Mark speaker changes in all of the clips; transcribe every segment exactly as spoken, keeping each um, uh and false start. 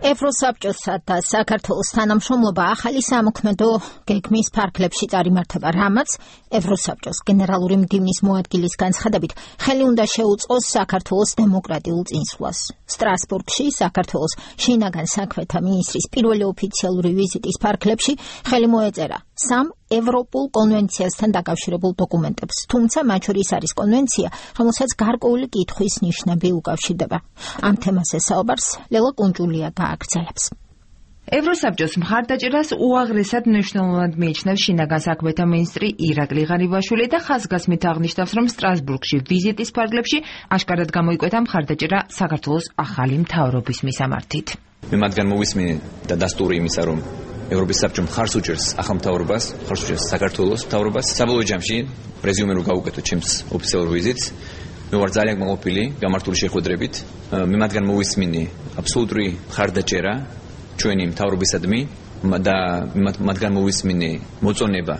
Speaker 1: ევროსაბჭოსა და საქართველოს თანამშრომლობა ახალი სამოქმედო გეგმის ფარგლებში წარიმართება, რამაც ევროსაბჭოს გენერალური მდივნის მოადგილის განცხადებით ხელი უნდა შეუწყოს საქართველოს დემოკრატიულ წინსვლას. სტრასბურგში საქართველოს შინაგან საქმეთა მინისტრის პირველი ოფიციალური ვიზიტის ფარგლებში ხელი მოეწერა სამ ევროპულ კონვენციასთან დაკავშირებულ დოკუმენტებს, თუმცა მათ შორის არის კონვენცია, რომელსაც გარკვეული კითხვის ნიშნები უკავშირდება. ამ თემაზე საუბარს ლელა კუნჭულია გააგრძელებს.
Speaker 2: ევროსაბჭოს მხარდაჭერას უაღრესად მნიშვნელოვნად მიიჩნევს შინაგან საქმეთა მინისტრი ირაკლი ღარიბაშვილი და ხაზგასმით აღნიშნავს, რომ სტრასბურგში ვიზიტის ფარგლებში აშკარად გამოიკვეთა მხარდაჭერა საქართველოს ახალი მთავრობის მისამართით.
Speaker 3: მე მათგან მოვისმინე და დასტური იმისა, რომ ევროპის საბჭო მხარს უჭერს ახალ მთავრობას, მხარს უჭერს საქართველოს მთავრობას. საბოლოო ჯამში პრეზიუმე რო გავუკეთო ჩემს ოფიციალურ ვიზიტს, მე ვარ ძალიან კმაყოფილი გამართული შეხვედრებით. მე მათგან მოვისმინე აბსოლუტური მხარდაჭერა ჩვენი მთავრობისადმი და მათგან მოვისმინე მოწონება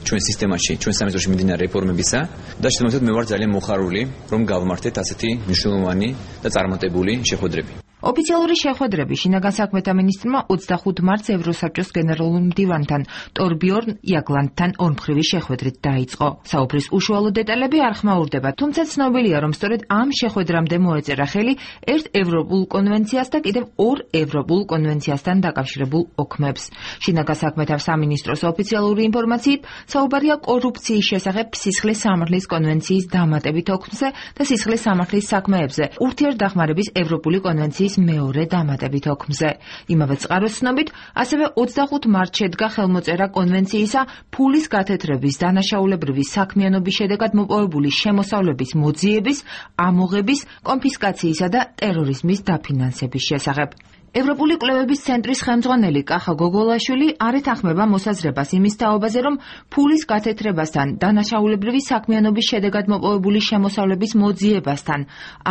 Speaker 3: ჩვენ სისტემაში, ჩვენ სამეზოში მიმდინარე რეფორმებისა და შემოწმეთ მე ვარ ძალიან მოხარული, რომ გავმართეთ ასეთი მნიშვნელოვანი და წარმატებული შეხვედრები.
Speaker 2: ოფიციალური შეხვედრები შინაგან საქმეთა მინისტრმა ოცდახუთ მარტს ევროსაბჭოს გენერალურ მდივანთან ტორბიორნ იაგლანდთან ორმხრივი შეხვედრით დაიწყო. საუბრის უშუალო დეტალები არ ხმაურდება, თუმცა ცნობილია, რომ სწორედ ამ შეხვედრამდე მოეწერა ხელი ერთ ევროპულ კონვენციას და კიდევ ორ ევროპულ კონვენციასთან დაკავშირებულ ოქმებს. შინაგან საქმეთა სამინისტროს ოფიციალური ინფორმაციით საუბარია კორუფციის შესახებ სისხლის სამართლის კონვენციის დამატებით ოქმზე და სისხლის სამართლის საქმეებზე ურთიერთდახმარების ევროპული კონვენციის მეორე დამატებით ოქმზე. იმავე წყაროს ცნობით, ასევე ოცდახუთ მარტს შედგა ხელმოწერა კონვენციისა ფულის გათეთრების, დანაშაულებრივი საქმიანობის შედეგად მოპოვებული შემოსავლების მოძიების, ამოღების, კონფისკაციისა და ტერორიზმის დაფინანსების შესახებ. ევროპული კვლევების ცენტრის ხელმძღვანელი კახა გოგოლაშვილი არ ეთანხმება მოსაზრებას იმის თაობაზე, რომ ფულის გათეთრებასთან, დანაშაულებრივი საქმიანობის შედეგად მოპოვებული შემოსავლების მოძიებასთან,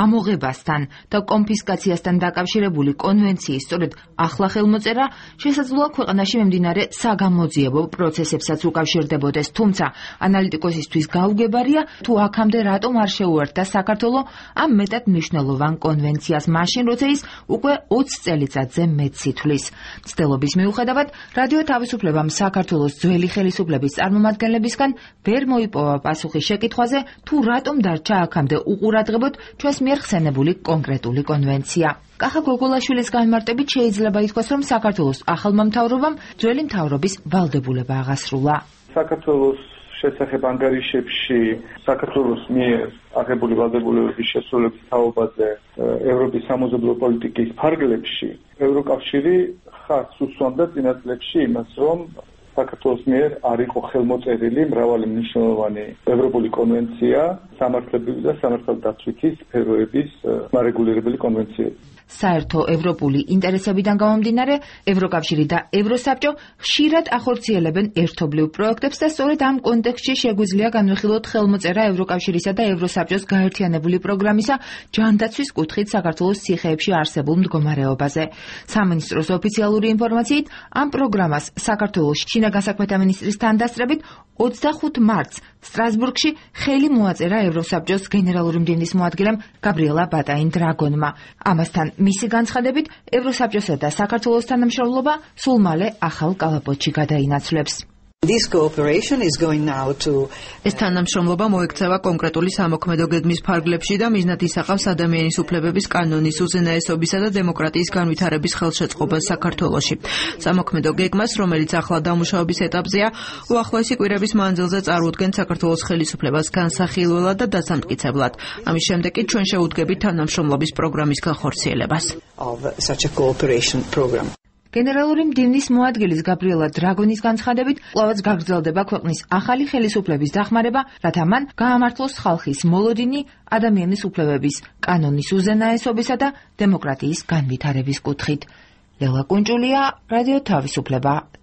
Speaker 2: ამოღებასთან და კონფისკაციასთან დაკავშირებული კონვენციის სწორედ ახლა ხელმოწერა შესაძლოა ქვეყანაში მიმდინარე საგამოძიებო პროცესებსაც უკავშირდებოდეს, თუმცა ანალიტიკოსისთვის გაუგებარია, თუ აქამდე რატომ არ შეუერთდა საქართველო ამ მეტად მნიშვნელოვან კონვენციას, მაშინ როცა ის უკვე ოცი წელი წელიწადზე მეტ სითვლის. მცდელობის მიუხედავად, რადიო თავისუფლებამ საქართველოს ძველი ხელისუფლების წარმომადგენლებისგან ვერ მოიპოვა პასუხი შეკითხვაზე, თუ რატომ დარჩა აქამდე უყურადღებოდ ჩვენს მიერ ხსენებული კონკრეტული კონვენცია. კახა გოგოლაშვილის განმარტებით შეიძლება ითქვას, რომ საქართველოს ახალმა მთავრობამ ძველი მთავრობის ვალდებულება აღასრულა.
Speaker 4: საქართველოს შესახებ ანგარიშებში საქართველოს მიერ აღებული ვალდებულებების შესრულების თაობაზე ევროპის სამეზობლო პოლიტიკის ფარგლებში ევროკავშირი ხაზს უსვამდა წინა წლებში იმას, რომ საქართველოს მიერ არ იყო ხელმოწერილი მრავალი მნიშვნელოვანი ევროპული კონვენცია სამართლებრივი და სამართალდაცვითი სფეროების მარეგულირებელი კონვენციები.
Speaker 2: საერთო ევროპული ინტერესებიდან გამომდინარე, ევროკავშირი და ევროსაბჭო ხშირად ახორციელებენ ერთობლივ პროექტებს და სწორედ ამ კონტექსტში შეგვიძლია განვიხილოთ ხელმოწერა ევროკავშირისა და ევროსაბჭოს გაერთიანებული პროგრამისა ჯანდაცვის კუთხით საქართველოს ციხეებში არსებულ მდგომარეობაზე. სამინისტროს ოფიციალური ინფორმაციით, ამ პროგრამას საქართველოს შინაგან საქმეთა მინისტრის თანდასწრებით ოცდახუთ მარტს სტრასბურგში ხელი მოაწერა ევროსაბჭოს გენერალური მდივნის მოადგილემ გაბრიელა ბატაინ-დრაგონმა. ამასთან მისი განცხადებით, ევროსაბჭოსა და საქართველოს თანამშრომლობა სულ მალე ახალ კალაპოტში გადაინაცვლებს.
Speaker 5: ეს თანამშრომლობა მოექცევა კონკრეტული სამოქმედო გეგმის ფარგლებში და მიზნად ისახავს ადამიანის უფლებების კანონის, უზენაესობისა და დემოკრატიის განვითარების ხელშეწყობას საქართველოში. სამოქმედო გეგმას, რომელიც ახლა დამუშავების ეტაპზეა, უახლოესი კვირების მანძილზე წარმოუდგენთ საქართველოს ხელისუფლებას განსახილველად და დასამტკიცებლად. ამის შემდეგ კი ჩვენ შეუდგებით თანამშრომლობის პროგრამის განხორციელებას.
Speaker 2: გენერალური მდივნის მოადგილის გაბრიელა დრაგონის განცხადებით, კვლავაც გაგრძელდება ქვეყნის ახალი ხელისუფლების დახმარება, რათა მან გაამართლოს ხალხის მოლოდინი ადამიანის უფლებების კანონის უზენაესობისა და დემოკრატიის განვითარების კუთხით. ლელა კუნჭულია, რადიო თავისუფლება.